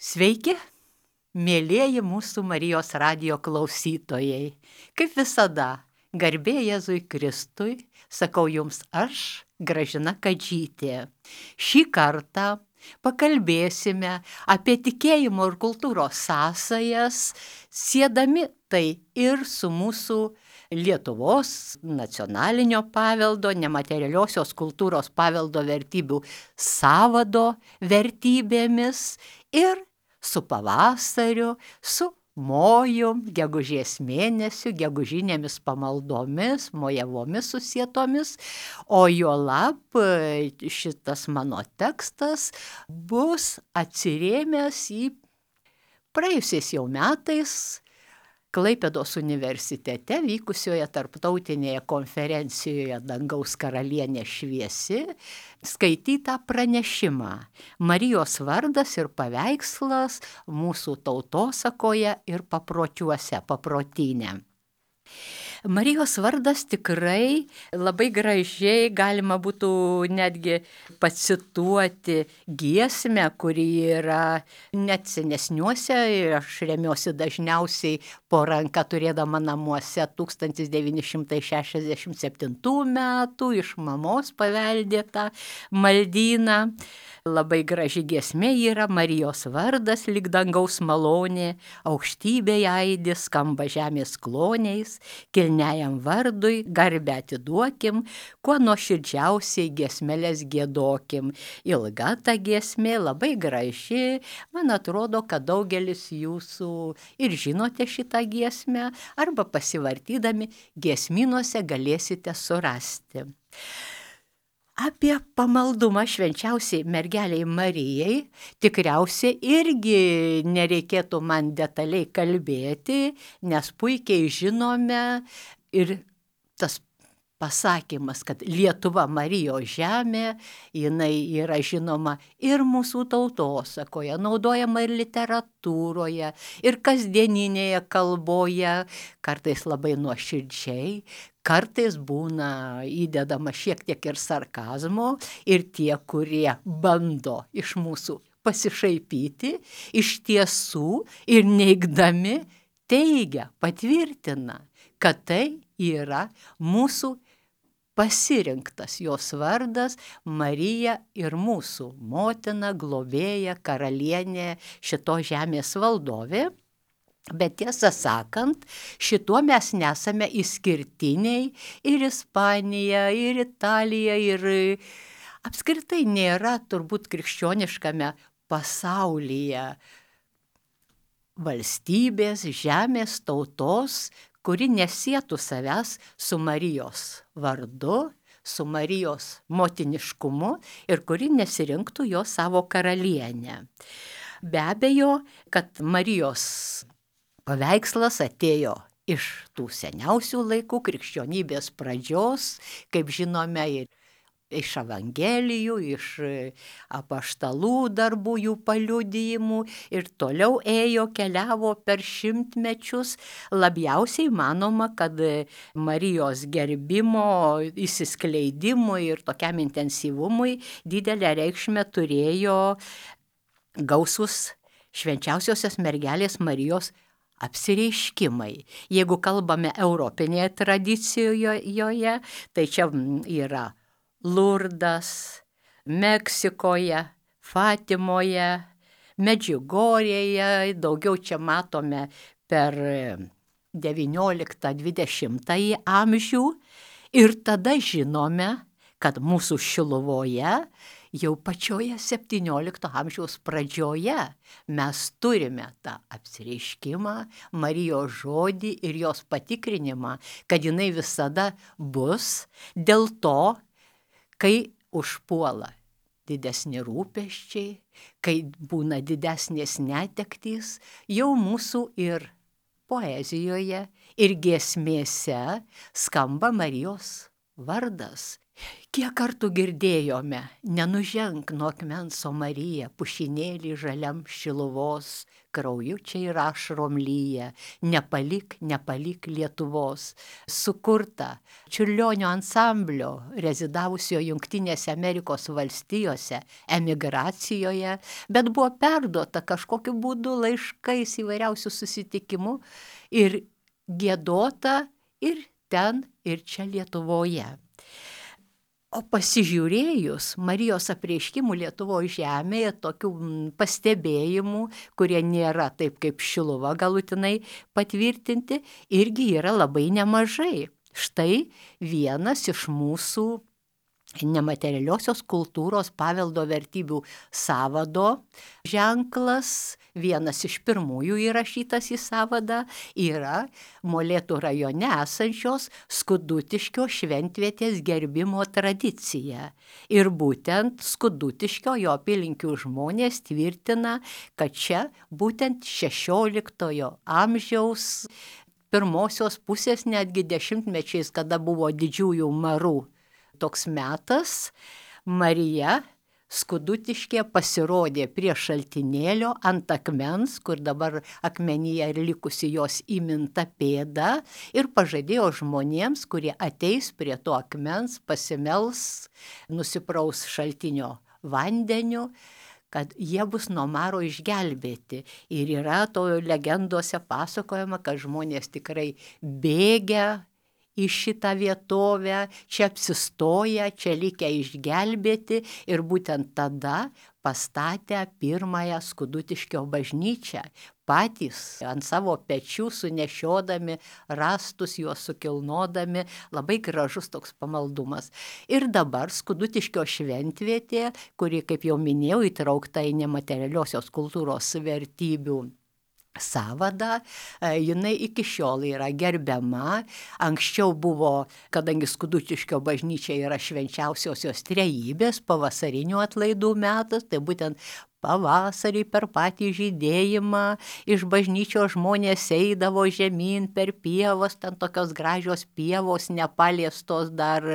Sveiki, mėlieji mūsų Marijos radijo klausytojai. Kaip visada, garbė Jėzui Kristui, sakau jums aš, Gražina Kadžytė. Šį kartą pakalbėsime apie tikėjimo ir kultūros sąsajas, siedami tai ir su mūsų Lietuvos nacionalinio paveldo, nematerialiosios kultūros paveldo vertybių sąvado vertybėmis ir su pavasariu, su mojum, gegužės mėnesiu, gegužinėmis pamaldomis, mojavomis susietomis, o juolab šitas mano tekstas bus atsirėmęs į praėjusiais jau metais Klaipėdos universitete vykusioje tarptautinėje konferencijoje Dangaus karalienė šviesi skaitytą pranešimą Marijos vardas ir paveikslas mūsų tautosakoje ir papročiuose, paprotyne. Marijos vardas tikrai labai gražiai galima būtų netgi pacituoti giesmę, kuri yra net senesniuose ir aš remiuosi dažniausiai po ranka turėdama namuose 1967 metų iš mamos paveldėtą maldyną. Labai graži giesmė yra Marijos vardas, lyg dangaus malonė, aukštybėje aidi, skamba žemės kloniais, kilniajam vardui garbę atiduokim, kuo nuoširdžiausiai giesmeles giedokim. Ilga ta giesmė, labai graži, man atrodo, kad daugelis jūsų ir žinote šitą giesmę, arba pasivartydami giesmynuose galėsite surasti. Apie pamaldumą švenčiausiai mergelei Marijai tikriausiai irgi nereikėtų man detaliai kalbėti, nes puikiai žinome ir tas pasakymas, kad Lietuva Marijos žemė, jinai yra žinoma ir mūsų tautosakoje, naudojama ir literatūroje, ir kasdieninėje kalboje, kartais labai nuoširdžiai, kartais būna įdedama šiek tiek ir sarkazmo, ir tie, kurie bando iš mūsų pasišaipyti, iš tiesų ir neigdami teigia, patvirtina, kad tai yra mūsų pasirinktas jos vardas Marija ir mūsų motina, globėja, karalienė, šitos žemės valdovė. Bet tiesą sakant, šituo mes nesame išskirtiniai, ir Ispanija, ir Italija, ir apskritai nėra turbūt krikščioniškame pasaulyje valstybės, žemės, tautos, kuri nesietų savęs su Marijos vardu, su Marijos motiniškumu ir kuri nesirinktų jo savo karalienę. Be abejo, kad Marijos paveikslas atėjo iš tų seniausių laikų, krikščionybės pradžios, kaip žinome, ir iš evangelijų, iš apaštalų darbų, jų paliudijimų ir toliau ėjo, keliavo per šimtmečius. Labiausiai manoma, kad Marijos gerbimo, įsiskleidimui ir tokiam intensyvumui didelę reikšmę turėjo gausus švenčiausiosios mergelės Marijos apsireiškimai. Jeigu kalbame europinėje tradicijoje, tai čia yra Lurdas, Meksikoje, Fatimoje, Medžiugorėje, daugiau čia matome per 19-20 amžių. Ir tada žinome, kad mūsų Šiluvoje jau pačioje 17 amžiaus pradžioje mes turime tą apsireiškimą, Marijos žodį ir jos patikrinimą, kad jinai visada bus. Dėl to, kai užpuola didesni rūpesčiai, kai būna didesnės netektys, jau mūsų ir poezijoje, ir giesmėse skamba Marijos vardas. Kiek kartų girdėjome, nenuženk nuo akmens, o Marija, pušinėlį žaliam Šiluvos, krauju čia ir ašarom lyja, nepalik, nepalik Lietuvos. Sukurta Čiurlionio ansamblio, rezidavusio Jungtinėse Amerikos valstijose, emigracijoje, bet buvo perduota kažkokiu būdu laiškais įvairiausių susitikimų ir giedota ir ten, ir čia Lietuvoje. O pasižiūrėjus Marijos apreiškimų Lietuvoje žemėje, tokių pastebėjimų, kurie nėra taip kaip Šiluva galutinai patvirtinti, irgi yra labai nemažai. Štai vienas iš mūsų nematerialiosios kultūros paveldo vertybių sąvado ženklas, vienas iš pirmųjų įrašytas į sąvadą, yra Molėtų rajone esančios Skudutiškio šventvietės gerbimo tradicija. Ir būtent Skudutiškio jo apylinkių žmonės tvirtina, kad čia būtent 16 amžiaus pirmosios pusės, netgi dešimtmečiais, kada buvo didžiųjų marų toks metas, Marija Skudutiškė pasirodė prie šaltinėlio ant akmens, kur dabar akmenyje ir likusi jos įminta pėda, ir pažadėjo žmonėms, kurie ateis prie to akmens, pasimels, nusipraus šaltinio vandeniu, kad jie bus nuo maro išgelbėti. Ir yra to legendose pasakojama, kad žmonės tikrai bėgia į šitą vietovę, čia apsistoja, čia likę išgelbėti, ir būtent tada pastatė pirmąją Skudutiškio bažnyčią. Patys ant savo pečių sunešiodami rąstus, juos sukilnodami, labai gražus toks pamaldumas. Ir dabar Skudutiškio šventvietė, kuri, kaip jau minėjau, įtraukta į nematerialiosios kultūros vertybių sąvadą, jinai iki šiol yra gerbiama. Anksčiau buvo, kadangi Skudutiškio bažnyčia yra švenčiausiosios trejybės pavasarinių atlaidų metas, tai būtent pavasarį per patį žydėjimą iš bažnyčios žmonės eidavo žemyn per pievas, ten tokios gražios pievos, nepaliestos dar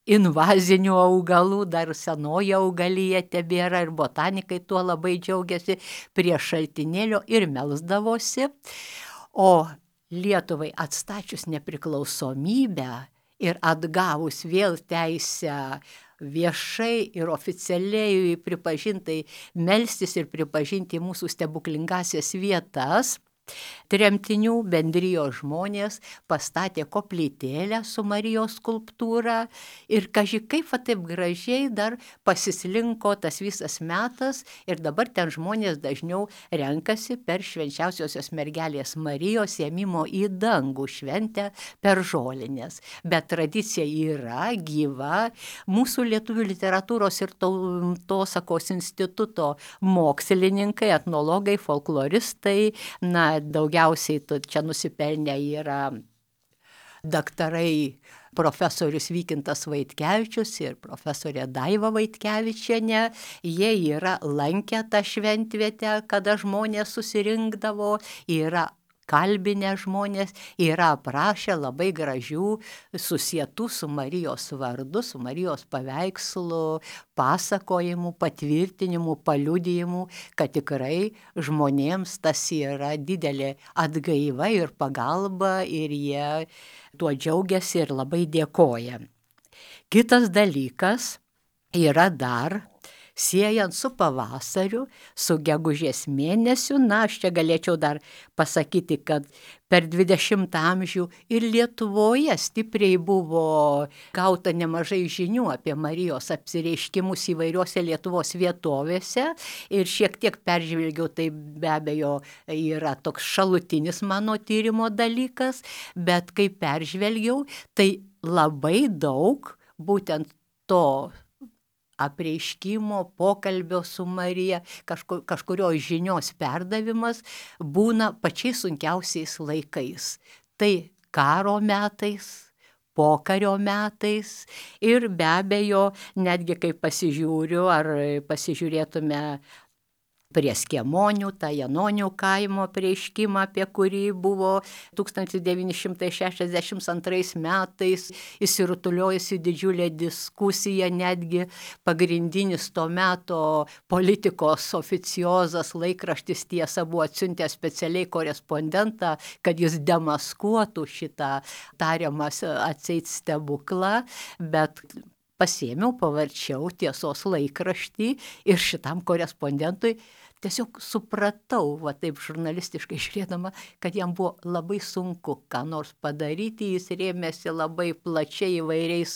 invazinių augalų, dar senoji augalija tebėra, ir botanikai tuo labai džiaugiasi, prie šaltinėlio ir melsdavosi. O Lietuvai atstačius nepriklausomybę ir atgavus vėl teisę viešai ir oficialiai pripažintai melstis ir pripažinti mūsų stebuklingasias vietas, tremtinių bendrijos žmonės pastatė koplytėlę su Marijos skulptūra, ir kaži kaip taip gražiai dar pasislinko tas visas metas, ir dabar ten žmonės dažniau renkasi per švenčiausiosios mergelės Marijos ėmimo į dangų šventę per žolinės. Bet tradicija yra gyva. Mūsų lietuvių literatūros ir tautosakos instituto mokslininkai, etnologai, folkloristai, daugiausiai čia nusipelnę yra daktarai profesorius Vykintas Vaitkevičius ir profesorė Daiva Vaitkevičienė. Jie yra lankę tą šventvietę, kada žmonės susirinkdavo, yra kalbinę žmonės, yra aprašę labai gražių susietų su Marijos vardu, su Marijos paveikslu, pasakojimų, patvirtinimų, paliudijimų, kad tikrai žmonėms tas yra didelė atgaiva ir pagalba, ir jie tuo džiaugiasi ir labai dėkoja. Kitas dalykas yra dar siejant su pavasariu, su gegužės mėnesiu. Aš čia galėčiau dar pasakyti, kad per 20 amžių ir Lietuvoje stipriai buvo gauta nemažai žinių apie Marijos apsireiškimus įvairiose Lietuvos vietovėse, ir šiek tiek peržvelgiau, tai be abejo yra toks šalutinis mano tyrimo dalykas, bet kai peržvelgiau, tai labai daug būtent to apreiškimo, pokalbio su Marija, kažkurios žinios perdavimas būna pačiais sunkiausiais laikais. Tai karo metais, pokario metais, ir be abejo, netgi kai pasižiūriu, ar pasižiūrėtume prie Skiemonių, tą Janonių kaimo apreiškimą, apie kurį buvo 1962 metais įsirutuliojusi didžiulė diskusija, netgi pagrindinis to meto politikos oficiozas laikraštis Tiesa buvo atsiuntęs specialiai korespondentą, kad jis demaskuotų šitą tariamą atseit stebuklą, bet pasėmiau, pavarčiau Tiesos laikraštį ir šitam korespondentui tiesiog supratau, va taip žurnalistiškai žiūrėdama, kad jam buvo labai sunku ką nors padaryti, jis rėmėsi labai plačiai įvairiais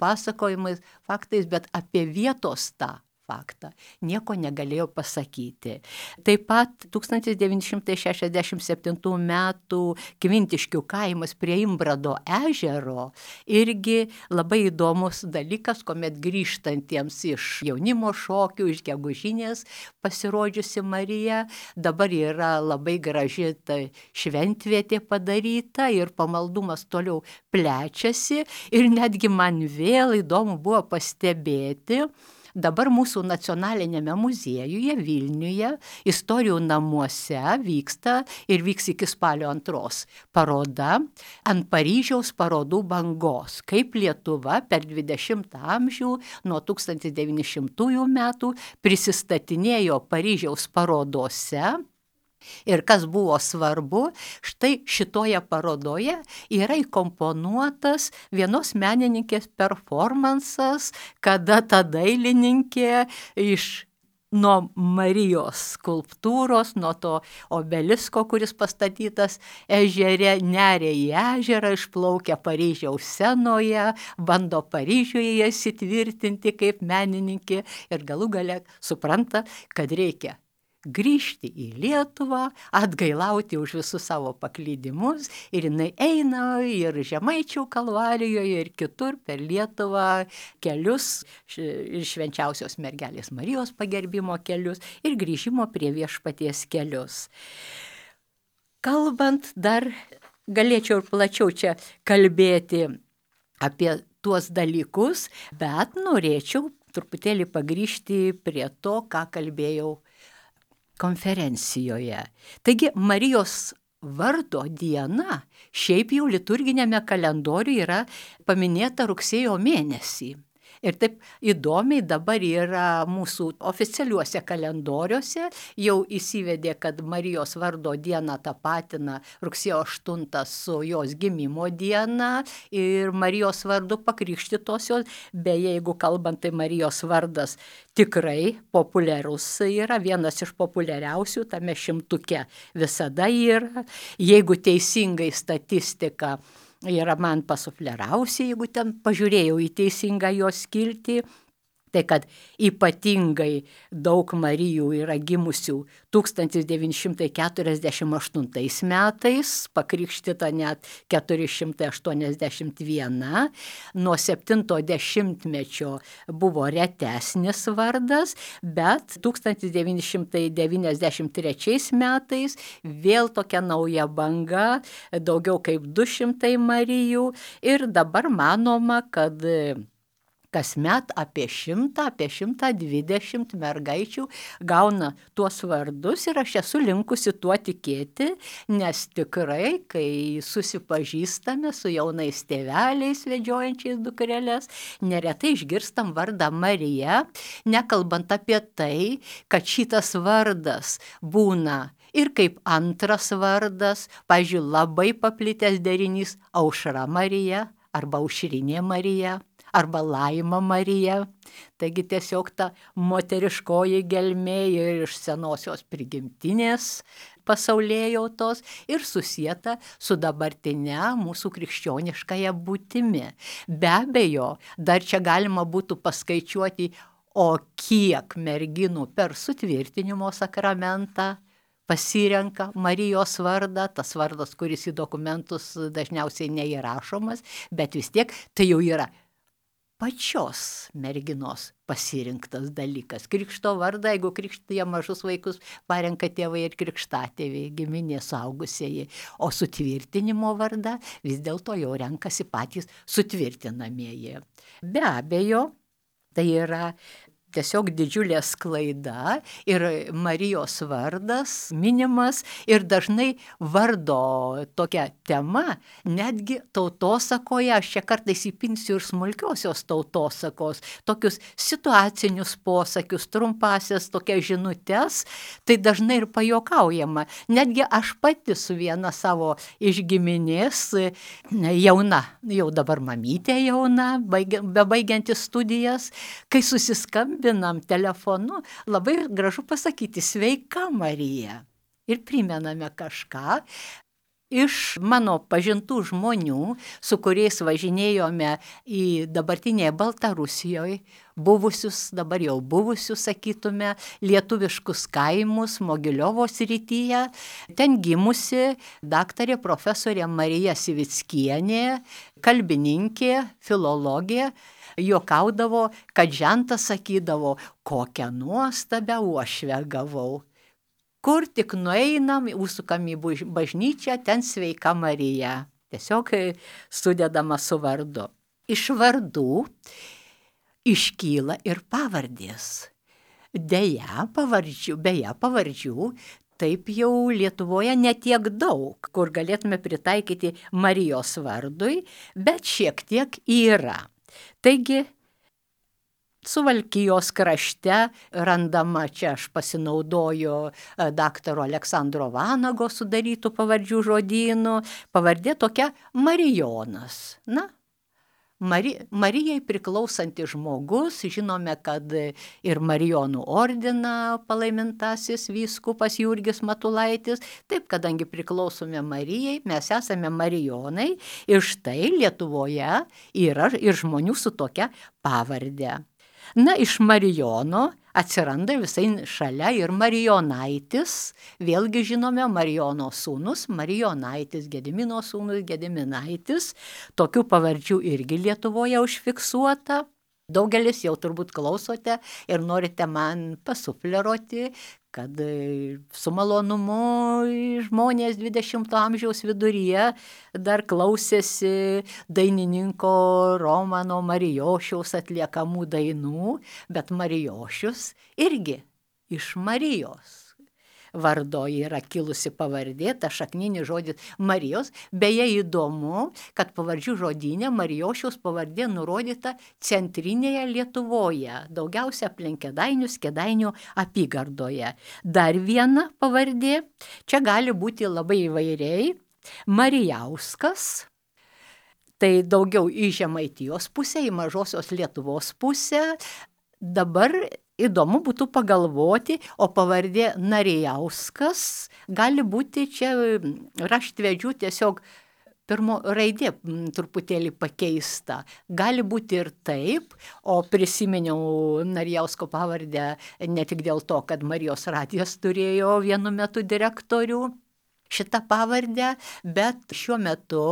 pasakojimais, faktais, bet apie vietos tą faktą nieko negalėjo pasakyti. Taip pat 1967 metų Kvintiškių kaimas prie Imbrado ežero irgi labai įdomus dalykas, kuomet grįžtantiems iš jaunimo šokių, iš gegužinės pasirodžiusi Marija, dabar yra labai graži ta šventvietė padaryta ir pamaldumas toliau plečiasi ir netgi man vėl įdomu buvo pastebėti, dabar mūsų nacionalinėme muziejuje Vilniuje, Istorijų namuose vyksta ir vyks iki spalio 2 paroda ant Paryžiaus parodų bangos, kaip Lietuva per 20 amžių nuo 1900 metų prisistatinėjo Paryžiaus parodose. Ir kas buvo svarbu, štai šitoje parodoje yra įkomponuotas vienos menininkės performansas, kada ta dailininkė nuo Marijos skulptūros, nuo to obelisko, kuris pastatytas ežere, neria į ežerą, išplaukia Paryžiaus scenoje, bando Paryžiuje įsitvirtinti kaip menininkė ir galų gale supranta, kad reikia grįžti į Lietuvą, atgailauti už visus savo paklydimus ir jinai eina ir Žemaičių kalvarijoje ir kitur per Lietuvą kelius, ir švenčiausios mergelės Marijos pagerbimo kelius ir grįžimo prie viešpaties kelius. Kalbant dar, galėčiau ir plačiau čia kalbėti apie tuos dalykus, bet norėčiau truputėlį pagrįžti prie to, ką kalbėjau konferencijoje. Taigi Marijos vardo diena šiaip jau liturginėme kalendoriuje yra paminėta rugsėjo mėnesį. Ir taip įdomiai dabar yra mūsų oficialiuose kalendoriuose, jau įsivedė, kad Marijos vardo dieną tapatina rugsėjo 8 su jos gimimo diena ir Marijos vardu pakrikštytosios, beje, jeigu kalbant, tai Marijos vardas tikrai populiarus yra, vienas iš populiariausių tame šimtuke visada yra, jeigu teisingai statistika yra man pasuflerausi, jeigu ten pažiūrėjau į teisingą jos skiltį, tai kad ypatingai daug Marijų yra gimusių 1948 metais, pakrikštyta net 481, nuo 70-mečio buvo retesnis vardas, bet 1993 metais vėl tokia nauja banga, daugiau kaip 200 Marijų ir dabar manoma, kad kasmet apie 100–120 mergaičių gauna tuos vardus ir aš esu linkusi tuo tikėti, nes tikrai, kai susipažįstame su jaunais tėveliais vedžiojančiais dukreles, neretai išgirstam vardą Marija, nekalbant apie tai, kad šitas vardas būna ir kaip antras vardas, pavyzdžiui, labai paplitęs derinys Aušra Marija arba Aušrinė Marija, arba Laima Marija, taigi tiesiog ta moteriškoji gelmė ir iš senosios prigimtinės pasaulėjautos ir susieta su dabartinė mūsų krikščioniškąja būtimi. Be abejo, dar čia galima būtų paskaičiuoti, o kiek merginų per sutvirtinimo sakramentą pasirenka Marijos vardą, tas vardas, kuris į dokumentus dažniausiai neįrašomas, bet vis tiek tai jau yra pačios merginos pasirinktas dalykas. Krikšto vardą, jeigu krikštija mažus vaikus, parenka tėvai ir krikštatėviai, giminė suaugusieji, o sutvirtinimo vardą vis dėlto jau renkasi patys sutvirtinamieji. Be abejo, tai yra tiesiog didžiulė sklaida ir Marijos vardas minimas ir dažnai vardo tokia tema, netgi tautosakoje, aš čia kartais įpinsiu ir smulkiosios tautosakos, tokius situacinius posakius, trumpasias tokias žinutes, tai dažnai ir pajuokaujama. Netgi aš pati su viena savo iš giminės, jauna, jau dabar mamytė jauna, bebaigianti studijas, kai susiskambinam telefonu, labai gražu pasakyti sveika Marija. Ir primename kažką iš mano pažintų žmonių, su kuriais važinėjome į dabartinėje Baltarusijoje, buvusius, dabar jau buvusius, sakytume, lietuviškus kaimus Mogiliovo srityje. Ten gimusi daktarė profesorė Marija Sivickienė, kalbininkė, filologė, juokaudavo, kad žentas sakydavo, kokią nuostabią uošvę gavau. Kur tik nueinam, užsukam į bažnyčią, ten sveika Marija. Tiesiog sudedama su vardu. Iš vardų iškyla ir pavardės. Beje, pavardžių taip jau Lietuvoje netiek daug, kur galėtume pritaikyti Marijos vardui, bet šiek tiek yra. Taigi, Suvalkijos krašte randama, čia aš pasinaudoju daktaro Aleksandro Vanago sudarytų pavardžių žodynų, pavardė tokia Marijonas. Na, Marijai priklausantis žmogus, žinome, kad ir Marijonų ordiną palaimintasis vyskupas Jurgis Matulaitis, taip, kadangi priklausome Marijai, mes esame Marijonai ir štai Lietuvoje yra ir žmonių su tokia pavardė. Na, iš Marijono atsiranda visai šalia ir Marijonaitis, vėlgi žinome Marijono sūnus, Marijonaitis, Gedimino sūnus, Gediminaitis, tokių pavardžių irgi Lietuvoje užfiksuota. Daugelis jau turbūt klausote ir norite man pasufleruoti, kad su malonumu žmonės 20 amžiaus viduryje dar klausėsi dainininko Romano Marijošiaus atliekamų dainų, bet Marijošius irgi iš Marijos vardo yra kilusi pavardė, ta šakninis žodis Marijos. Beje, įdomu, kad pavardžių žodyne Marijošiaus pavardė nurodyta centrinėje Lietuvoje, daugiausia aplink Kėdainius, Kėdainių apygardoje. Dar viena pavardė, čia gali būti labai įvairiai, Marijauskas, tai daugiau į Žemaitijos pusę, į mažosios Lietuvos pusę. Dabar įdomu būtų pagalvoti, o pavardė Narijauskas gali būti čia raštvedžių tiesiog pirmo raidė truputėlį pakeista. Gali būti ir taip, o prisiminiau Narijausko pavardę ne tik dėl to, kad Marijos radijas turėjo vienu metu direktorių šitą pavardę, bet šiuo metu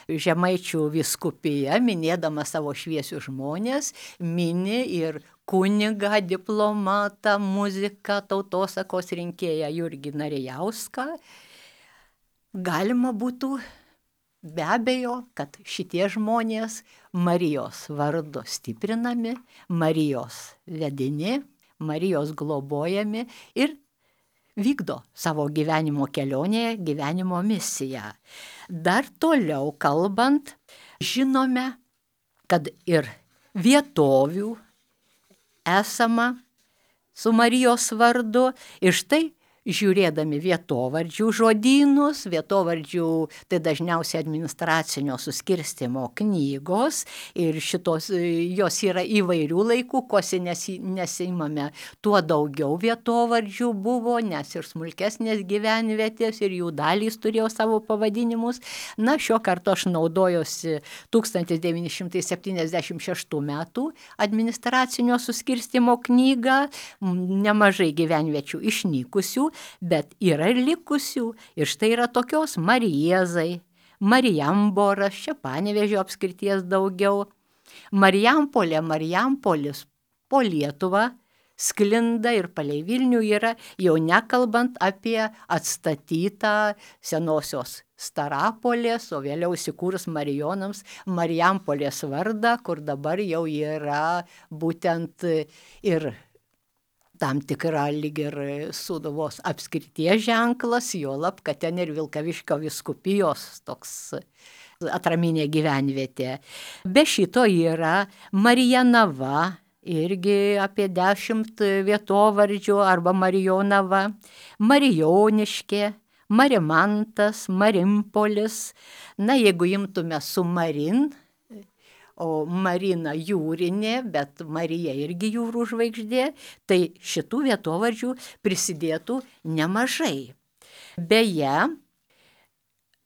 Žemaičių vyskupija, minėdama savo šviesius žmonės, mini ir kunigą, diplomatą, muziką, tautosakos rinkėją Jurgį Narijauską. Galima būtų be abejo, kad šitie žmonės Marijos vardu stiprinami, Marijos vedini, Marijos globojami ir vykdo savo gyvenimo kelionėje, gyvenimo misiją. Dar toliau kalbant, žinome, kad ir vietovių esama su Marijos vardu ir štai žiūrėdami vietovardžių žodynus, vietovardžių tai dažniausiai administracinio suskirstymo knygos ir šitos, jos yra įvairių laikų, kuo nesimame, tuo daugiau vietovardžių buvo, nes ir smulkesnės gyvenvietės ir jų dalys turėjo savo pavadinimus. Na, šio karto aš naudojuosi 1976 metų administracinio suskirstymo knygą, nemažai gyvenviečių išnykusių, bet yra ir likusių. Ir štai yra tokios Mariezai, Marijamboras, čia Panevėžio apskrities daugiau. Marijampolė, Marijampolis po Lietuvą sklinda ir palei Vilnių yra, jau nekalbant apie atstatytą senosios Starapolės, o vėliau įsikūrus Marijonams Marijampolės vardą, kur dabar jau yra būtent ir tam tikra lyg ir Sūduvos apskrities ženklas, juolab, kad ten ir Vilkaviškio vyskupijos toks atraminė gyvenvietė. Be šito yra Marijanava, irgi apie 10 vietovardžių, arba Marijonava, Marijoniškė, Marimantas, Marimpolis. Na, jeigu imtume su Marin, o Marina jūrinė, bet Marija irgi jūrų žvaigždė, tai šitų vietovardžių prisidėtų nemažai. Beje,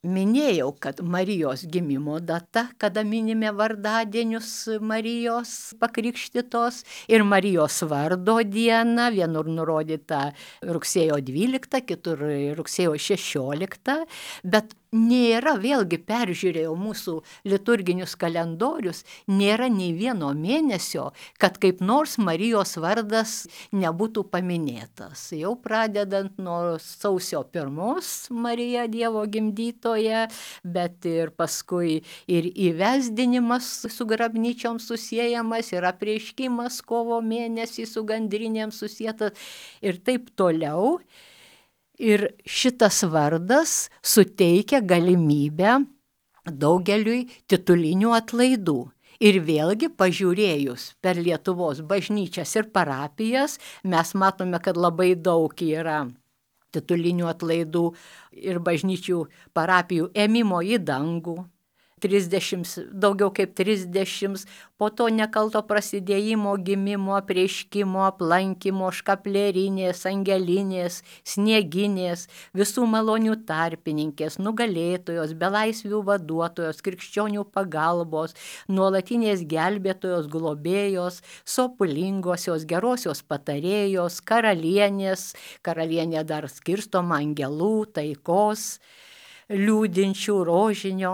minėjau, kad Marijos gimimo data, kada minime vardadienius Marijos pakrikštytos, ir Marijos vardo diena, vienur nurodyta rugsėjo 12, kitur rugsėjo 16, bet nėra, vėlgi peržiūrėjau mūsų liturginius kalendorius, nėra nei vieno mėnesio, kad kaip nors Marijos vardas nebūtų paminėtas. Jau pradedant nuo sausio 1 Marija Dievo gimdytoja, bet ir paskui ir įvesdinimas su grabnyčiom susiejamas, ir apreiškimas kovo mėnesį su gandrinėm susietas ir taip toliau. Ir šitas vardas suteikia galimybę daugeliui titulinių atlaidų. Ir vėlgi pažiūrėjus per Lietuvos bažnyčias ir parapijas, mes matome, kad labai daug yra titulinių atlaidų ir bažnyčių parapijų ėmimo į dangų. 30, daugiau kaip 30, po to nekalto prasidėjimo, gimimo, apreiškimo, aplankymo, škaplerinės, angelinės, snieginės, visų malonių tarpininkės, nugalėtojos, belaisvių vaduotojos, krikščionių pagalbos, nuolatinės gelbėtojos, globėjos, sopulingosios, gerosios patarėjos, karalienės, karalienė dar skirstoma angelų, taikos, liūdinčių, rožinio,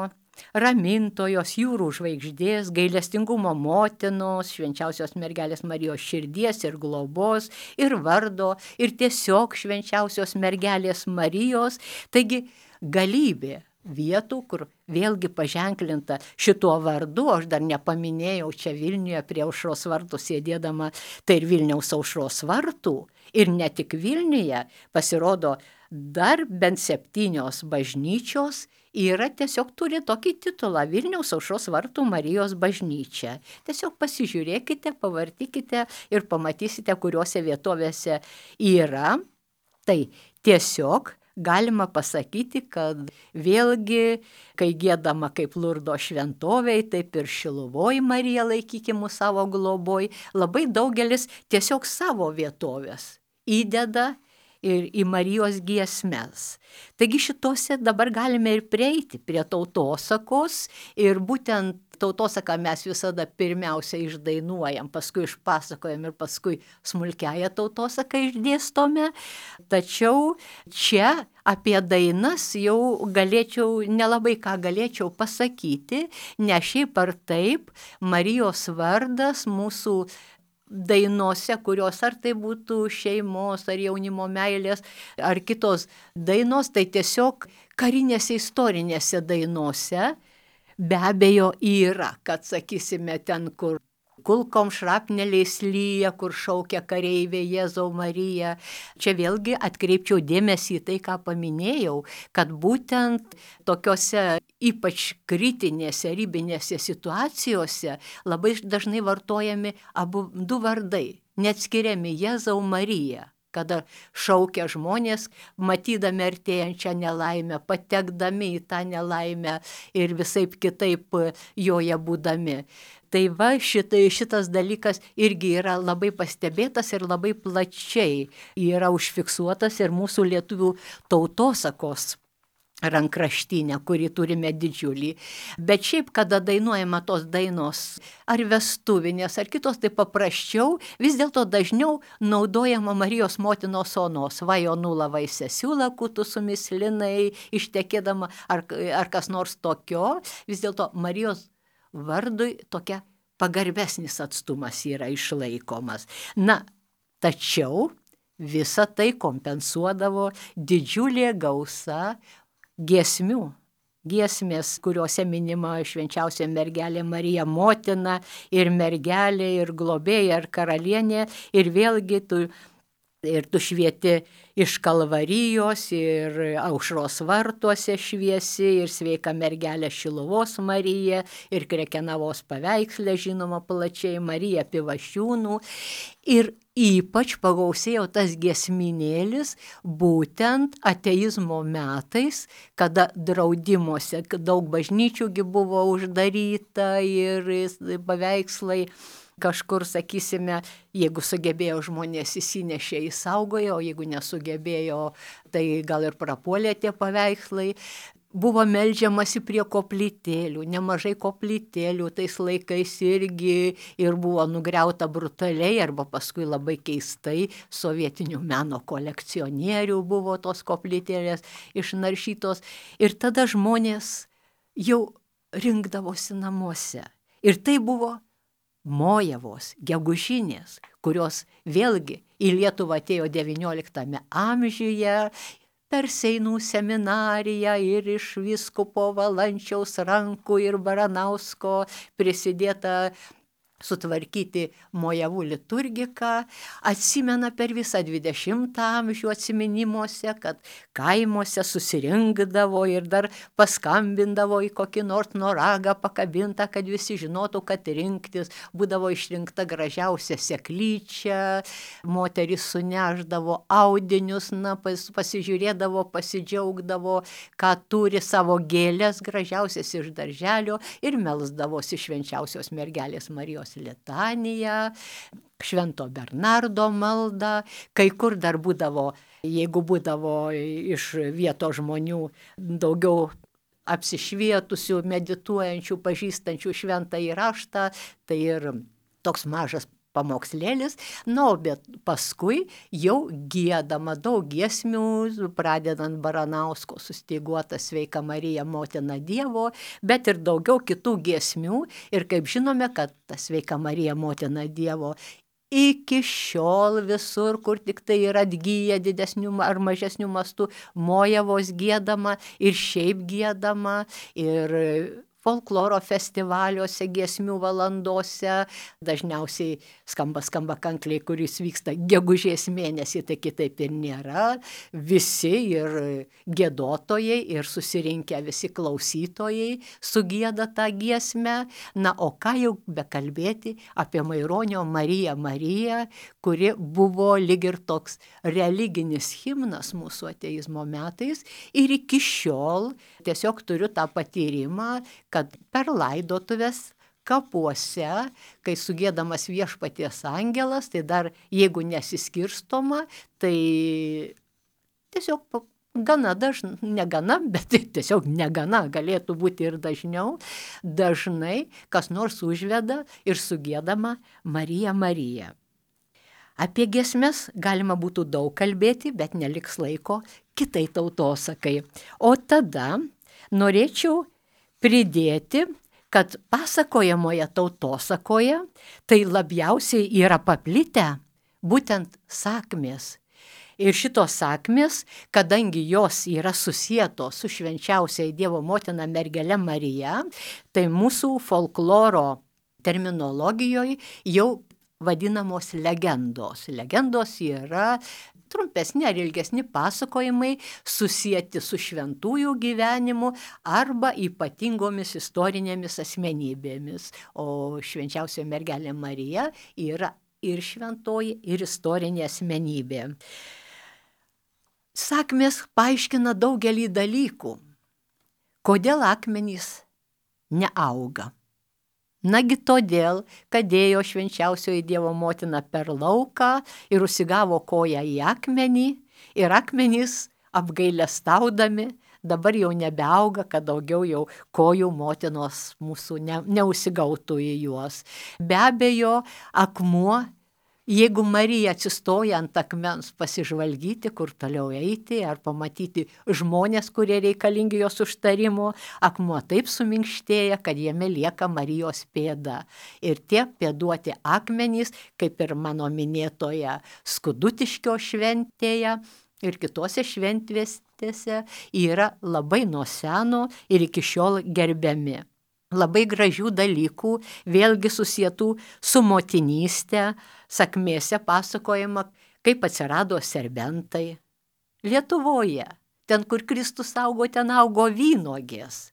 ramintojos, jūrų žvaigždės, gailestingumo motinos, švenčiausios mergelės Marijos širdies ir globos, ir vardo, ir tiesiog švenčiausios mergelės Marijos. Taigi galybė vietų, kur vėlgi paženklinta šituo vardu, aš dar nepaminėjau čia Vilniuje prie Aušros vartų sėdėdama, tai ir Vilniaus Aušros vartų, ir ne tik Vilniuje, pasirodo dar bent 7 bažnyčios yra tiesiog turi tokį titulą Vilniaus Aušros vartų Marijos bažnyčia. Tiesiog pasižiūrėkite, pavartykite ir pamatysite, kuriuose vietovėse yra. Tai tiesiog galima pasakyti, kad vėlgi, kai giedama kaip Lurdo šventovėj, taip ir Šiluvoj Marija laikykim savo globoj, labai daugelis tiesiog savo vietovės įdeda ir į Marijos giesmes. Taigi šitose dabar galime ir prieiti prie tautosakos, ir būtent tautosaką mes visada pirmiausia išdainuojam, paskui išpasakojam ir paskui smulkiąją tautosaką išdėstome. Tačiau čia apie dainas jau nelabai ką galėčiau pasakyti, nes šiaip ar taip Marijos vardas mūsų dainose, kurios ar tai būtų šeimos, ar jaunimo meilės, ar kitos dainos, tai tiesiog karinėse istorinėse dainose be abejo yra, kad sakysime ten, kur kulkom šrapneliais lyja, kur šaukia kareivė Jėzau Marija. Čia vėlgi atkreipčiau dėmesį į tai, ką paminėjau, kad būtent tokiose ypač kritinėse, ribinėse situacijose labai dažnai vartojami du vardai, neatskiriami Jėzau Marija, kada šaukia žmonės, matydami artėjančią nelaimę, patekdami į tą nelaimę ir visaip kitaip joje būdami. Tai va, šitas dalykas irgi yra labai pastebėtas ir labai plačiai yra užfiksuotas ir mūsų lietuvių tautosakos rankraštinę, kurį turime didžiulį. Bet šiaip, kada dainuojama tos dainos ar vestuvinės, ar kitos, tai paprasčiau, vis dėlto dažniau naudojama Marijos motinos onos, vajonula vaisesiūla, kutų sumislinai, ištekėdama, ar kas nors tokio, vis dėlto Marijos vardui tokia pagarbesnis atstumas yra išlaikomas. Na, tačiau visą tai kompensuodavo didžiulė gausa giesmių. Giesmės, kuriuose minima švenčiausia mergelė Marija motina, ir mergelė, ir globėja, ir karalienė, ir vėlgi Ir tu švieti iš Kalvarijos, ir Aušros vartuose šviesi, ir Sveika mergelė Šiluvos Marija, ir Krekenavos paveiksle žinoma plačiai Marija Pivašiūnų. Ir ypač pagausėjo tas giesminėlis būtent ateizmo metais, kada draudimuose daug bažnyčiųgi buvo uždaryta ir paveikslai kažkur, sakysime, jeigu sugebėjo žmonės įsinešė, įsaugojo, o jeigu nesugebėjo, tai gal ir prapuolė tie paveikslai. Buvo meldžiamasi prie koplytėlių, nemažai koplytėlių tais laikais irgi ir buvo nugriauta brutaliai arba paskui labai keistai sovietinių meno kolekcionierių buvo tos koplytėlės išnaršytos. Ir tada žmonės jau rinkdavosi namuose. Ir tai buvo mojavos, gegužinės, kurios vėlgi į Lietuvą atėjo XIX amžiuje per Seinų seminariją ir iš vyskupo Valančiaus rankų ir Baranausko prisidėta sutvarkyti mojavų liturgiką. Atsimena per visą 20 amžių atsiminimuose, kad kaimuose susirinkdavo ir dar paskambindavo į kokį nors noragą pakabintą, kad visi žinotų, kad rinktis. Būdavo išrinkta gražiausia seklyčia, moteris suneždavo audinius, pasižiūrėdavo, pasidžiaugdavo, ką turi savo gėlės gražiausias iš darželio ir melsdavosi švenčiausios mergelės Marijos litaniją, Švento Bernardo maldą, kai kur dar būdavo, jeigu būdavo iš vietos žmonių daugiau apsišvietusių, medituojančių, pažįstančių šventąjį raštą, tai ir toks mažas pamokslėlis, bet paskui jau giedama daug giesmių, pradedant Baranausko sustyguotą Sveika Marija, motina Dievo, bet ir daugiau kitų giesmių. Ir kaip žinome, kad ta Sveika Marija, motina Dievo, iki šiol visur, kur tik tai yra atgyję didesnių ar mažesnių mastų, mojavos giedama ir šiaip giedama, ir folkloro festivaliuose, giesmių valandose, dažniausiai skamba kankliai, kuris vyksta gegužės mėnesį, tai kitaip ir nėra. Visi ir giedotojai, ir susirinkę visi klausytojai sugieda tą giesmę. O ką jau bekalbėti apie Maironio Mariją Mariją, kuri buvo lyg ir toks religinis himnas mūsų ateizmo metais. Ir iki šiol tiesiog turiu tą patyrimą, kad per laidotuves kapuose, kai sugiedamas Viešpaties angelas, tai dar jeigu nesiskirstoma, tai tiesiog gana dažnai, negana, bet tiesiog negana, galėtų būti ir dažniau, dažnai kas nors užveda ir sugiedama Marija Marija. Apie giesmes galima būtų daug kalbėti, bet neliks laiko kitai tautosakai. O tada norėčiau pridėti, kad pasakojamoje tautosakoje tai labiausiai yra paplitę būtent sakmės. Ir šitos sakmės, kadangi jos yra susietos su švenčiausiai Dievo motina mergele Marija, tai mūsų folkloro terminologijoje jau vadinamos legendos. Legendos yra trumpesni ar ilgesni pasakojimai susieti su šventųjų gyvenimu arba ypatingomis istorinėmis asmenybėmis. O švenčiausioji mergelė Marija yra ir šventoji, ir istorinė asmenybė. Sakmės paaiškina daugelį dalykų. Kodėl akmenys neauga? Nagi todėl, kad ėjo švenčiausioji Dievo motina per lauką ir užsigavo koją į akmenį, ir akmenys apgailestaudami dabar jau nebeauga, kad daugiau jau kojų motinos mūsų neužsigautų į juos. Be abejo, akmuo, jeigu Marija atsistoja ant akmens pasižvalgyti, kur toliau eiti, ar pamatyti žmonės, kurie reikalingi jos užtarimo, akmuo taip suminkštėja, kad jame lieka Marijos pėda. Ir tie pėduoti akmenys, kaip ir mano minėtoje Skudutiškio šventėje ir kitose šventvestėse, yra labai nuo seno ir iki šiol gerbiami. Labai gražių dalykų, vėlgi susietų su motinystė, sakmėse pasakojama, kaip atsirado serbentai. Lietuvoje, ten, kur Kristus augo, ten augo vynuogės.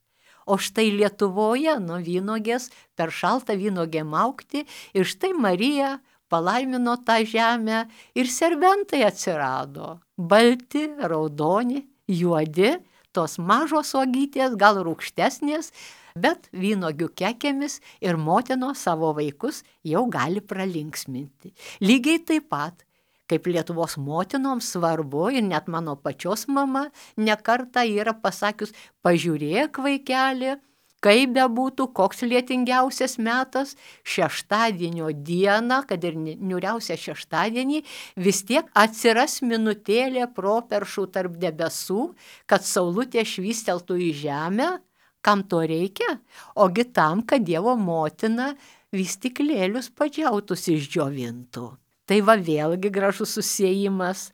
O štai Lietuvoje nuo vynuogės per šaltą vynuogėm augti ir štai Marija palaimino tą žemę ir serbentai atsirado. Balti, raudoni, juodi, tos mažos uogytės, gal rūgštesnės, bet vynuogių kekėmis ir motinos savo vaikus jau gali pralinksminti. Lygiai taip pat, kaip Lietuvos motinoms svarbu, ir net mano pačios mama nekartą yra pasakius, pažiūrėk vaikeli, kaip bebūtų, koks lietingiausias metas, šeštadienio dieną, kad ir niūriausią šeštadienį, vis tiek atsiras minutėlė properšų tarp debesų, kad saulutė švysteltų į žemę. Kam to reikia? Ogi tam, kad Dievo motina vystyklėlius padžiautus išdžiovintų. Tai va vėlgi gražus susiejimas.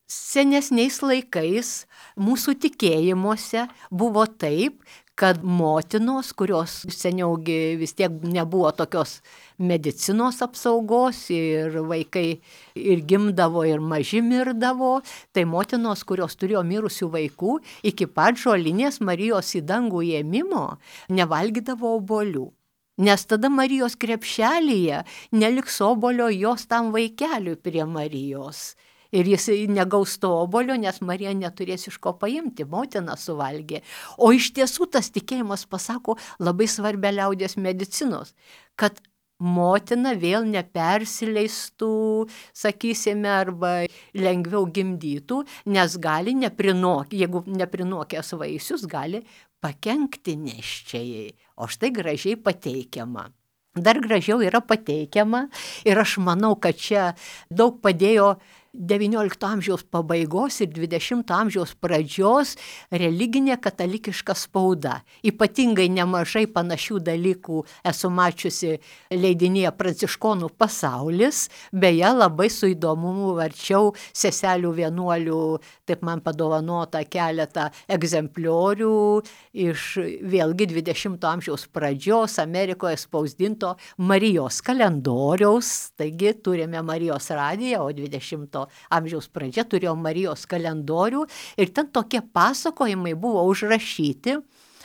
Senesniais laikais mūsų tikėjimuose buvo taip, kad motinos, kurios seniaugi vis tiek nebuvo tokios medicinos apsaugos ir vaikai ir gimdavo ir maži mirdavo, tai motinos, kurios turėjo mirusių vaikų, iki pat žolinės Marijos į dangų ėmimo nevalgydavo obuolių. Nes tada Marijos krepšelyje neliks obuolio jos tam vaikeliui prie Marijos. Ir jis negaus to obuolio, nes Marija neturės iš ko paimti, motina suvalgė. O iš tiesų tas tikėjimas pasako labai svarbę liaudies medicinos, kad motina vėl nepersileistų, sakysime, arba lengviau gimdytų, nes gali jeigu neprinokęs vaisius, gali pakenkti nėščiajai. O štai gražiai pateikiama. Dar gražiau yra pateikiama ir aš manau, kad čia daug padėjo XIX amžiaus pabaigos ir XX amžiaus pradžios religinė katalikiška spauda. Ypatingai nemažai panašių dalykų esu mačiusi leidinėje Pranciškonų pasaulis, beje labai su įdomumu varčiau seselių vienuolių, taip man padovanota keletą egzempliorių iš vėlgi XX amžiaus pradžios Amerikoje spausdinto Marijos kalendoriaus, taigi turime Marijos radiją, o XX amžiaus pradžia turėjo Marijos kalendorių ir ten tokie pasakojimai buvo užrašyti,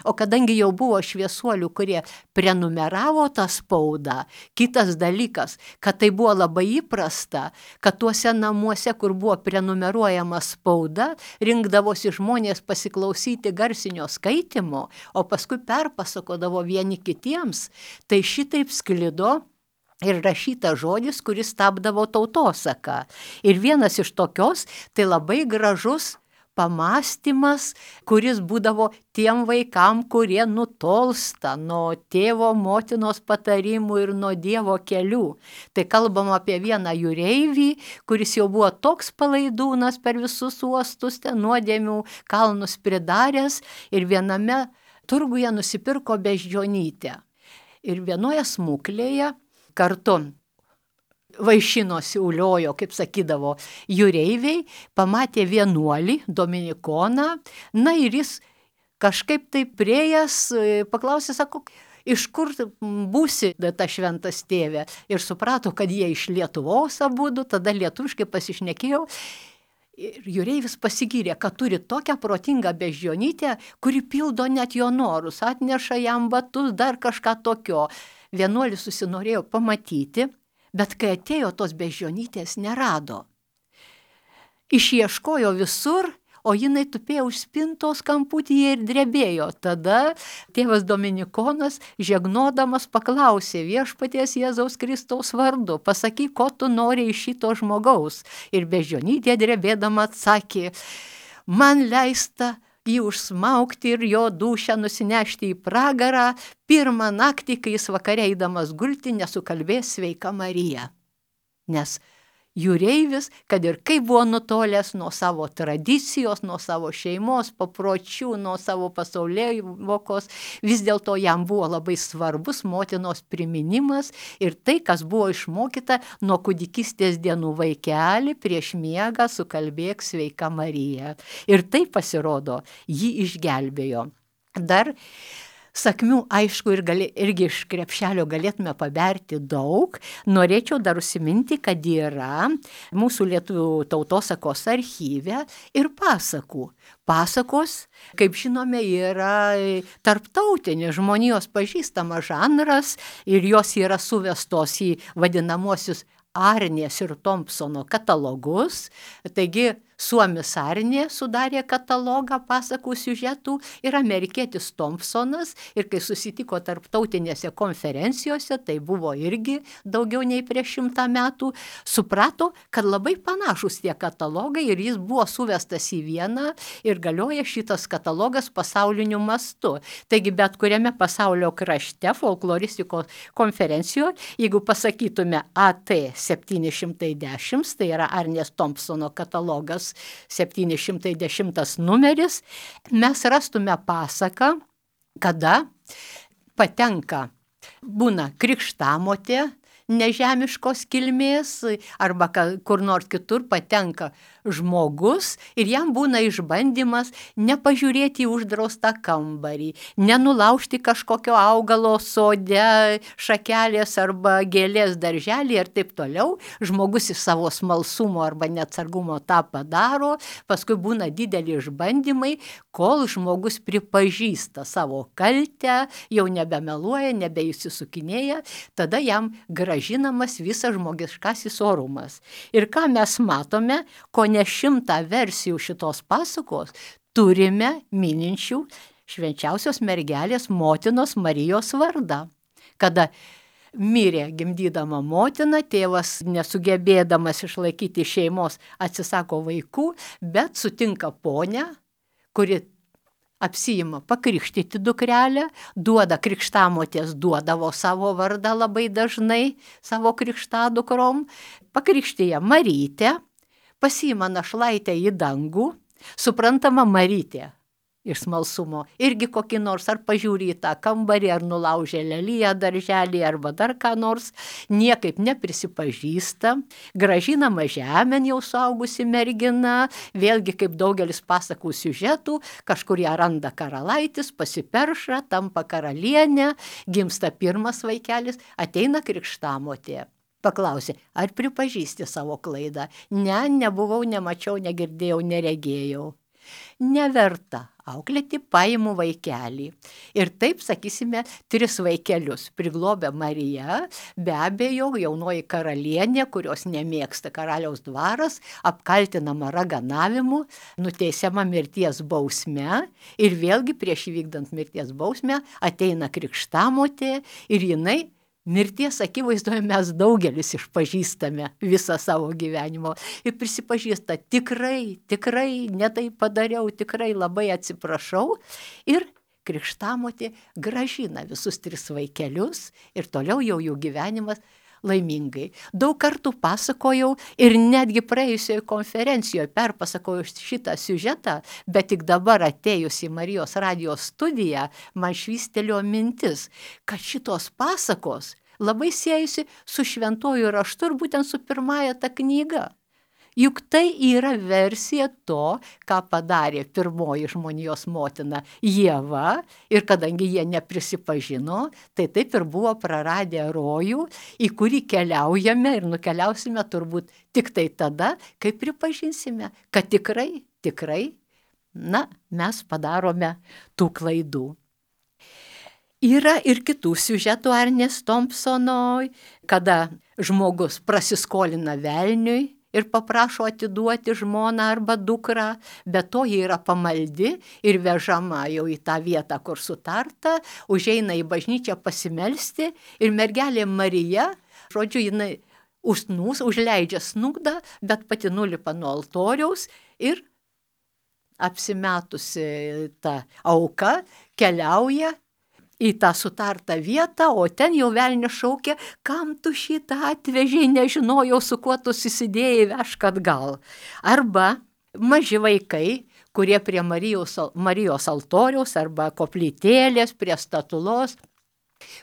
o kadangi jau buvo šviesuolių, kurie prenumeravo tą spaudą, kitas dalykas, kad tai buvo labai įprasta, kad tuose namuose, kur buvo prenumeruojama spauda, rinkdavosi žmonės pasiklausyti garsinio skaitymo, o paskui perpasakodavo vieni kitiems, tai šitaip sklido ir rašytas žodis, kuris tapdavo tautosaka. Ir vienas iš tokios, tai labai gražus pamąstymas, kuris būdavo tiem vaikam, kurie nutolsta nuo tėvo, motinos patarimų ir nuo Dievo kelių. Tai kalbam apie vieną jūreivį, kuris jau buvo toks palaidūnas per visus uostus, ten nuodėmių kalnus pridaręs ir viename turguje nusipirko beždžionytę. Ir vienoje smuklėje kartu vaišinosi, uliojo, kaip sakydavo, jūreiviai, pamatė vienuolį, dominikoną, na ir jis kažkaip tai priėjęs, paklausė, sako, iš kur būsi ta šventas tėve? Ir suprato, kad jie iš Lietuvos abudu, tada lietuviškai pasišnekėjo. Ir jūreivis pasigyrė, kad turi tokią protingą beždžionytę, kuri pildo net jo norus, atneša jam batus, dar kažką tokio. Vienuolis susinorėjo pamatyti, bet kai atėjo, tos beždžionytės nerado. Išieškojo visur, o jinai tupėjo už spintos kamputyje ir drebėjo. Tada tėvas Dominikonas, žegnodamas, paklausė Viešpaties Jėzaus Kristaus vardu, pasakyk, ko tu nori iš šito žmogaus. Ir beždžionytė drebėdama atsakė, man leista jį užsmaugti ir jo dūšią nusinešti į pragarą, pirmą naktį, kai jis vakare eidamas gulti, nesukalbės sveika Marija. Nes jūreivis, kad ir kaip buvo nutolęs nuo savo tradicijos, nuo savo šeimos papročių, nuo savo pasaulėjvokos, vis dėlto jam buvo labai svarbus motinos priminimas ir tai, kas buvo išmokyta nuo kūdikystės dienų, vaikeli, prieš miegą sukalbėk sveika Marija. Ir tai pasirodo, jį išgelbėjo. Dar Sakmių, aišku, irgi iš krepšelio galėtume paberti daug. Norėčiau dar užsiminti, kad yra mūsų lietuvių tautosakos archyve ir pasakų. Pasakos, kaip žinome, yra tarptautinis žmonijos pažįstamas žanras ir jos yra suvestos į vadinamuosius Arnės ir Thompsono katalogus. Taigi, suomis Arnė sudarė katalogą pasakų siužetų ir amerikietis Thompsonas. Ir kai susitiko tarptautinėse konferencijose, tai buvo irgi daugiau nei prieš 100 metų, suprato, kad labai panašus tie katalogai ir jis buvo suvestas į vieną ir galioja šitas katalogas pasauliniu mastu. Taigi, bet kuriame pasaulio krašte folkloristikos konferencijoje, jeigu pasakytume AT 710, tai yra Arnės Thompsono katalogas 710 numeris, mes rastume pasaką, kada patenka, būna krikštamotė nežemiškos kilmės arba kur nors kitur patenka žmogus ir jam būna išbandymas nepažiūrėti į uždraustą kambarį, nenulaužti kažkokio augalo sode, šakelės arba gėlės darželį ir taip toliau. Žmogus iš savo smalsumo arba neatsargumo tą padaro, paskui būna dideli išbandymai, kol žmogus pripažįsta savo kaltę, jau nebemeluoja, nebeįsisukinėja, tada jam grąžinamas visas žmogiškasis orumas. Ir ką mes matome, ko ne 100 versijų šitos pasakos turime mininčių švenčiausios mergelės motinos Marijos vardą. Kada mirė gimdydama motina, tėvas nesugebėdamas išlaikyti šeimos atsisako vaikų, bet sutinka ponę, kuri apsiima pakrikštyti dukrelę, duoda krikštamotės, duodavo savo vardą labai dažnai savo krikštadukrom, pakrikštija Marytę, pasiima našlaitę į dangų, suprantama Marytė iš smalsumo, irgi kokį nors ar pažiūri į tą kambarį, ar nulaužė leliją darželį, arba dar ką nors, niekaip neprisipažįsta, grąžinama žemėn jau suaugusi mergina, vėlgi kaip daugelis pasakų siužetų, kažkur ją randa karalaitis, pasiperša, tampa karalienė, gimsta pirmas vaikelis, ateina krikštamotė. Paklausė, ar pripažįsti savo klaidą? Ne, nebuvau, nemačiau, negirdėjau, neregėjau. Neverta auklėti, paimu vaikelį. Ir taip, sakysime, 3 vaikelius priglobė Marija, be abejo, jaunoji karalienė, kurios nemėgsta karaliaus dvaras, apkaltinama raganavimu, nuteisiama mirties bausme ir vėlgi prieš įvykdant mirties bausmę ateina krikštamotė ir jinai mirties akivaizdoje mes daugelis išpažįstame visą savo gyvenimo ir prisipažįsta tikrai, ne tai padariau, tikrai labai atsiprašau ir krikštamotė grąžina visus 3 vaikelius ir toliau jau jų gyvenimas laimingai. Daug kartų pasakojau ir netgi praėjusioje konferencijoje perpasakojau šitą siužetą, bet tik dabar atėjus į Marijos radijos studiją man švystelėjo mintis, kad šitos pasakos labai siejasi su šventuoju raštu ir būtent su pirmąja ta knyga. Juk tai yra versija to, ką padarė pirmoji žmonijos motina Ieva ir kadangi jie neprisipažino, tai taip ir buvo praradę rojų, į kurį keliaujame ir nukeliausime turbūt tik tai tada, kai pripažinsime, kad tikrai, mes padarome tų klaidų. Yra ir kitų siužetų Arnės Thompsono, kada žmogus prasiskolina velniui, ir paprašo atiduoti žmoną arba dukrą, bet to ji yra pamaldi ir vežama jau į tą vietą, kur sutarta, užeina į bažnyčią pasimelsti ir mergelė Marija, žodžiu, jinai užleidžia snugdą, bet pati nulipa nuo altoriaus ir apsimetusi ta auka keliauja į tą sutartą vietą, o ten jau velnias šaukia, kam tu šitą atvežiai, nežinojau, su kuo tu susidėjai, vežk atgal. Arba maži vaikai, kurie prie Marijos altoriaus arba koplytėlės, prie statulos,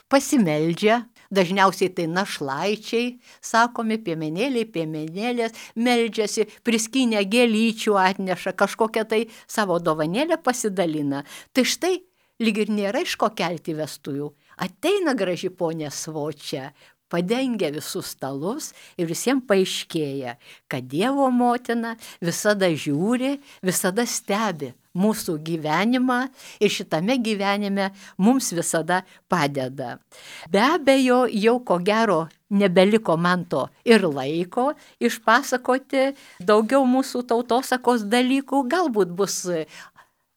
pasimeldžia, dažniausiai tai našlaičiai, sakomi, piemenėlės, meldžiasi, priskynę gėlyčių atneša, kažkokią tai savo dovanėlę pasidalina. Tai štai, lyg ir nėra iš ko kelti vestuvių. Ateina graži ponė Svočia, padengia visus stalus ir visiems paaiškėja, kad Dievo motina visada žiūri, visada stebi mūsų gyvenimą ir šitame gyvenime mums visada padeda. Be abejo, jau ko gero nebeliko man to ir laiko išpasakoti daugiau mūsų tautosakos dalykų, galbūt bus,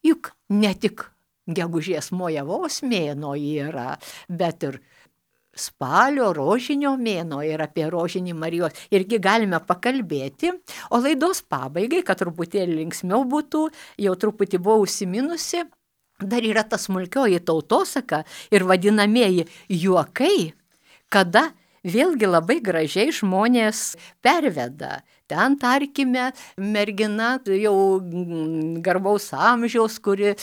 juk ne tik gegužės Mojavos mėnuo yra, bet ir spalio rožinio mėnuo ir apie rožinį Marijos irgi galime pakalbėti, o laidos pabaigai, kad truputėlį linksmiau būtų, jau truputį buvau užsiminusi, dar yra ta smulkioji tautosaka ir vadinamieji juokai, kada vėlgi labai gražiai žmonės perveda. Ten, tarkime, mergina jau garbaus amžiaus, kuri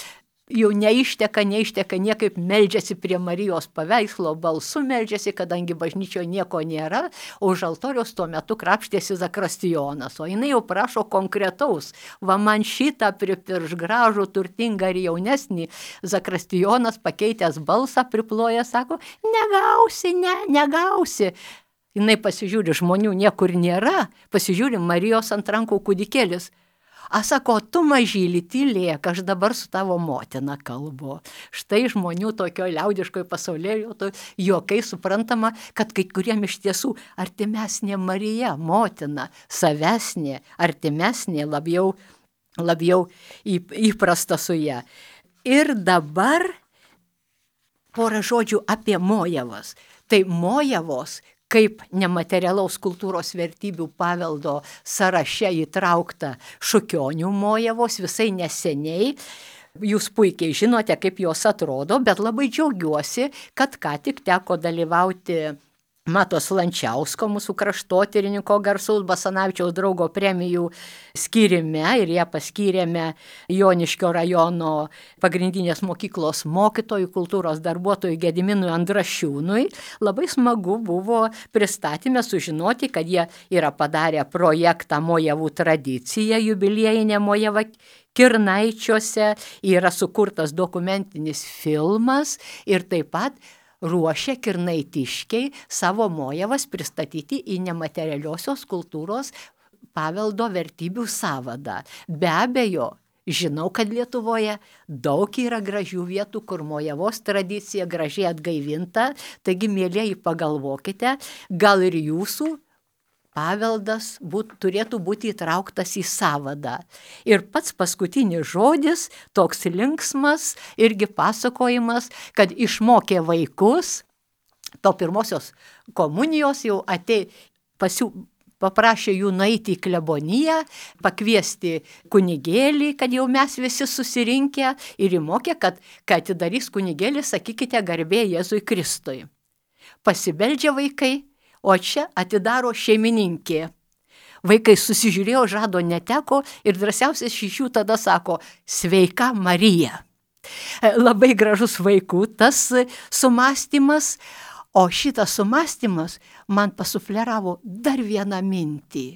jau neišteka, niekaip meldžiasi prie Marijos paveikslo, balsu meldžiasi, kadangi bažnyčioje nieko nėra, o už altoriaus tuo metu krapštėsi zakristijonas, o jinai jau prašo konkretaus, va man šitą pripirš gražų, turtingą ir jaunesnį, zakristijonas pakeitęs balsą priploja, sako, negausi. Jinai pasižiūri, žmonių niekur nėra, pasižiūri Marijos ant rankų kūdikėlis. Sako, tu mažylį tylėk, aš dabar su tavo motina kalbu. Štai žmonių tokio liaudiškojo pasaulėlio juokai suprantama, kad kai kuriem iš tiesų artimesnė Marija, motina, savesnė, artimesnė, labiau įprasta su ją. Ir dabar porą žodžių apie Mojavas. Tai Mojavos kaip nematerialaus kultūros vertybių paveldo sąraše įtraukta Šukionių Mojavos visai neseniai. Jūs puikiai žinote, kaip jos atrodo, bet labai džiaugiuosi, kad ką tik teko dalyvauti Matos Lančiausko, mūsų kraštotyrininko garsaus Basanavičiaus draugo premijų skyrime ir ją paskyrėme Joniškio rajono pagrindinės mokyklos mokytojų, kultūros darbuotojų Gediminui Andrašiūnui. Labai smagu buvo pristatyme sužinoti, kad jie yra padarę projektą Mojavų tradicija, jubiliejinė Mojava Kirnaičiuose, yra sukurtas dokumentinis filmas ir taip pat ruošia kirnaitiškiai savo Mojavas pristatyti į nematerialiosios kultūros paveldo vertybių sąvadą. Be abejo, žinau, kad Lietuvoje daug yra gražių vietų, kur Mojavos tradicija gražiai atgaivinta, taigi, mielieji, pagalvokite, gal ir jūsų paveldas turėtų būti įtrauktas į sąvadą. Ir pats paskutinis žodis, toks linksmas, irgi pasakojimas, kad išmokė vaikus, to pirmosios komunijos jau paprašė jų nueiti į kleboniją, pakviesti kunigėlį, kad jau mes visi susirinkę, ir įmokė, kad kai atidarys kunigėlį, sakykite garbė Jėzui Kristui. Pasibeldžia vaikai, o čia atidaro šeimininkė. Vaikai susižiūrėjo, žado neteko ir drąsiausias iš jų tada sako, sveika Marija. Labai gražus vaikų tas sumąstymas, o šitas sumąstymas man pasufleravo dar vieną mintį.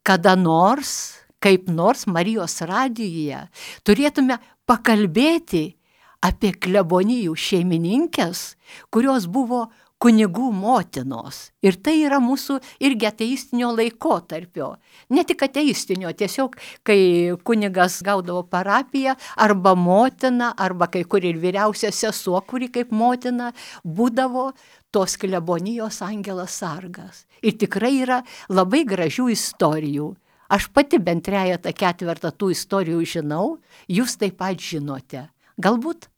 Kada nors, kaip nors Marijos radijuje turėtume pakalbėti apie klebonijų šeimininkes, kurios buvo kunigų motinos. Ir tai yra mūsų irgi ateistinio laikotarpio. Ne tik ateistinio, tiesiog, kai kunigas gaudavo parapiją, arba motina, arba kai kur ir vyriausia sesuo, kuri kaip motina būdavo tos klebonijos angelas sargas. Ir tikrai yra labai gražių istorijų. Aš pati bent 3/4 tų istorijų žinau, jūs taip pat žinote. Galbūt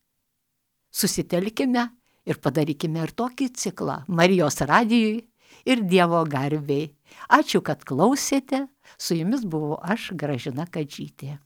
susitelkime ir padarykime ir tokį ciklą Marijos radijui ir Dievo garbei. Ačiū, kad klausėte. Su jumis buvau aš, Gražina Kadžytė.